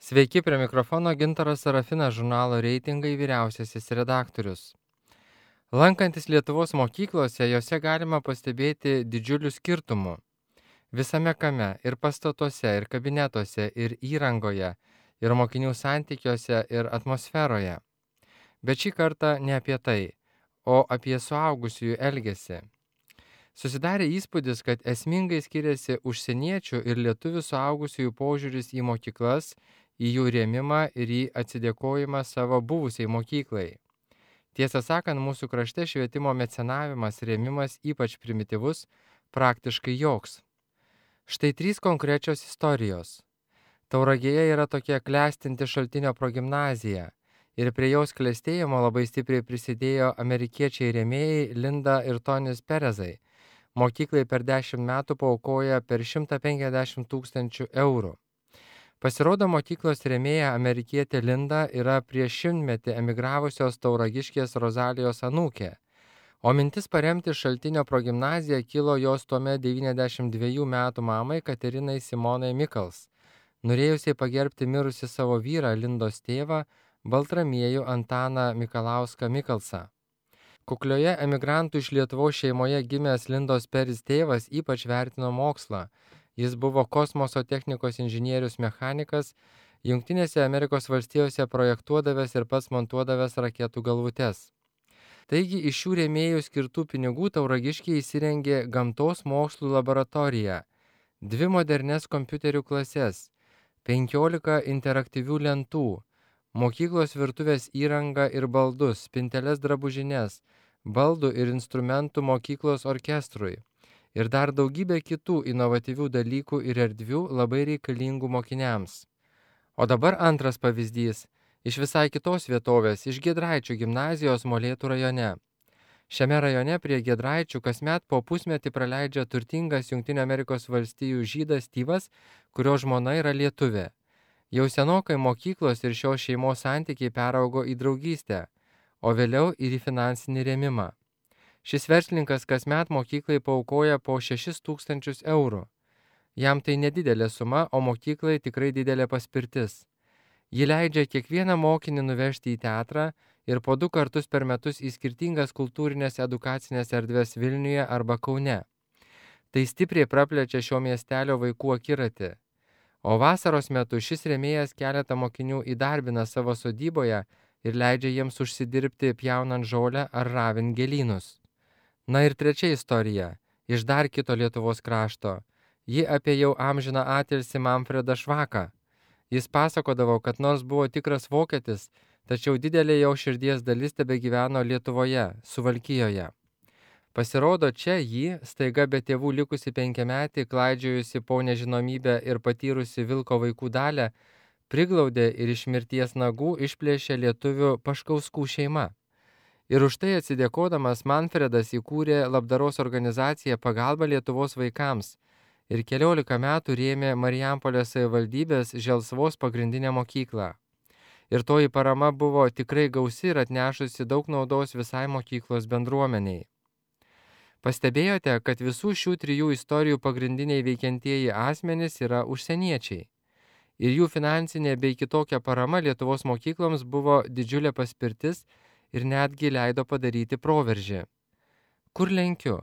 Sveiki, prie mikrofono Gintaras Sarafinas, žurnalo Reitingai vyriausiasis redaktorius. Lankantis Lietuvos mokyklose, jose galima pastebėti didžiulių skirtumų. Visame kame - ir pastatuose, ir kabinetuose, ir įrangoje, ir mokinių santykiuose, ir atmosferoje. Bet šį kartą ne apie tai, o apie suaugusiųjų elgesį. Susidarė įspūdis, kad esmingai skiriasi užsieniečių ir lietuvių suaugusiųjų požiūris į mokyklas, į jų rėmimą ir į atsidėkojimą savo buvusiai mokyklai. Tiesą sakant, mūsų krašte švietimo mecenavimas rėmimas ypač primityvus, praktiškai joks. Štai 3 konkrečios istorijos. Tauragėje yra tokia klestinti Šaltinio progimnazija ir prie jos klestėjimo labai stipriai prisidėjo amerikiečiai rėmėjai Linda ir Tonis Perezai. Mokyklai per 10 metų paaukoja per 150 000 eurų. Pasirodo, mokyklos rėmėja amerikietė Linda yra prieš 100-metį emigravusios tauragiškės Rozalijos anūkė, o mintis paremti Šaltinio progimnaziją kilo jos tuomet 92 metų mamai Katerinai Simonai Mikals, norėjusiai pagerbti mirusi savo vyrą Lindos tėvą Baltramiejų Antaną Mikalauską Mikalsą. Kuklioje emigrantų iš Lietuvos šeimoje gimęs Lindos Peris tėvas ypač vertino mokslą. Jis buvo kosmoso technikos inžinierius mechanikas, Jungtinėse Amerikos valstijose projektuodavęs ir pats montuodavęs raketų galvutes. Taigi iš šių rėmėjų skirtų pinigų tauragiškiai įsirengė gamtos mokslų laboratoriją, 2 modernes kompiuterių klases, 15 interaktyvių lentų, mokyklos virtuvės įrangą ir baldus, spinteles drabužines, baldų ir instrumentų mokyklos orkestrui ir dar daugybė kitų inovatyvių dalykų ir erdvių labai reikalingų mokiniams. O dabar antras pavyzdys iš visai kitos vietovės, iš Giedraičių gimnazijos Molėtų rajone. Šiame rajone prie Giedraičių kasmet po pusmetį praleidžia turtingas Jungtinių Amerikos valstijų žydas Styvas, kurio žmona yra lietuvė. Jau senokai mokyklos ir šios šeimos santykiai peraugo į draugystę, o vėliau ir į finansinį rėmimą. Šis verslininkas kasmet mokyklai paaukoja po 6 000 eurų. Jam tai nedidelė suma, o mokyklai tikrai didelė paspirtis. Ji leidžia kiekvieną mokinį nuvežti į teatrą ir po 2 kartus per metus į skirtingas kultūrinės edukacinės erdves Vilniuje arba Kaune. Tai stipriai praplečia šio miestelio vaikų akiratį. O vasaros metu šis rėmėjas keletą mokinių įdarbina savo sodyboje ir leidžia jiems užsidirbti pjaunant žolę ar ravint gėlynus. Na ir trečia istorija, iš dar kito Lietuvos krašto. Ji apie jau amžiną atilsį Manfredą Švaką. Jis pasakodavo, kad nors buvo tikras vokietis, tačiau didelė jo širdies dalis tebegyveno Lietuvoje, Suvalkijoje. Pasirodo, čia jį, staiga be tėvų likusi 5-metį, klaidžiojusi po nežinomybę ir patyrusi vilko vaikų dalę, priglaudė ir iš mirties nagų išplėšė lietuvių Paškauskų šeima. Ir už tai atsidėkodamas Manfredas įkūrė labdaros organizaciją Pagalba Lietuvos vaikams ir 14 metų rėmė Marijampolės savivaldybės Želsvos pagrindinę mokyklą. Ir toji parama buvo tikrai gausi ir atnešusi daug naudos visai mokyklos bendruomeniai. Pastebėjote, kad visų šių 3 istorijų pagrindiniai veikiantieji asmenys yra užsieniečiai. Ir jų finansinė bei kitokia parama Lietuvos mokykloms buvo didžiulė paspirtis ir netgi leido padaryti proveržį. Kur lenkiu?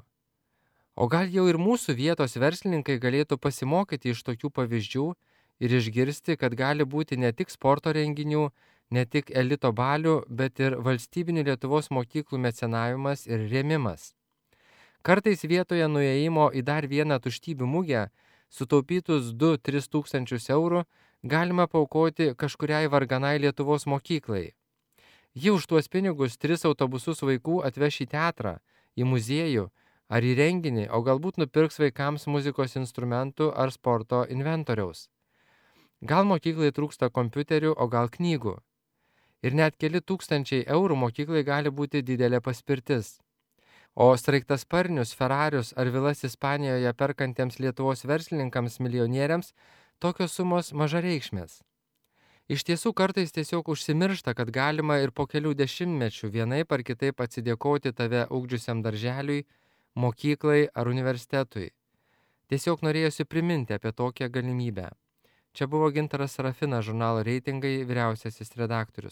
O gal jau ir mūsų vietos verslininkai galėtų pasimokyti iš tokių pavyzdžių ir išgirsti, kad gali būti ne tik sporto renginių, ne tik elito balių, bet ir valstybinių Lietuvos mokyklų mecenavimas ir rėmimas. Kartais vietoje nuėjimo į dar vieną tuštybių mugę, sutaupytus 2-3 tūkstančius eurų, galima paaukoti kažkuriai varganai Lietuvos mokyklai. Ji už tuos pinigus 3 autobusus vaikų atveš į teatrą, į muziejų ar į renginį, o galbūt nupirks vaikams muzikos instrumentų ar sporto inventoriaus. Gal mokyklai trūksta kompiuterių, o gal knygų. Ir net keli tūkstančiai eurų mokyklai gali būti didelė paspirtis. O sraigtasparnius, Ferrarius ar vilas Ispanijoje perkantiems Lietuvos verslininkams milijonieriams tokios sumos mažareikšmės. Iš tiesų kartais tiesiog užsimiršta, kad galima ir po kelių dešimtmečių vienaip ar kitaip atsidėkoti tave ugdžiusiam darželiui, mokyklai ar universitetui. Tiesiog norėjosi priminti apie tokią galimybę. Čia buvo Gintaras Serafinas, žurnalo Reitingai vyriausiasis redaktorius.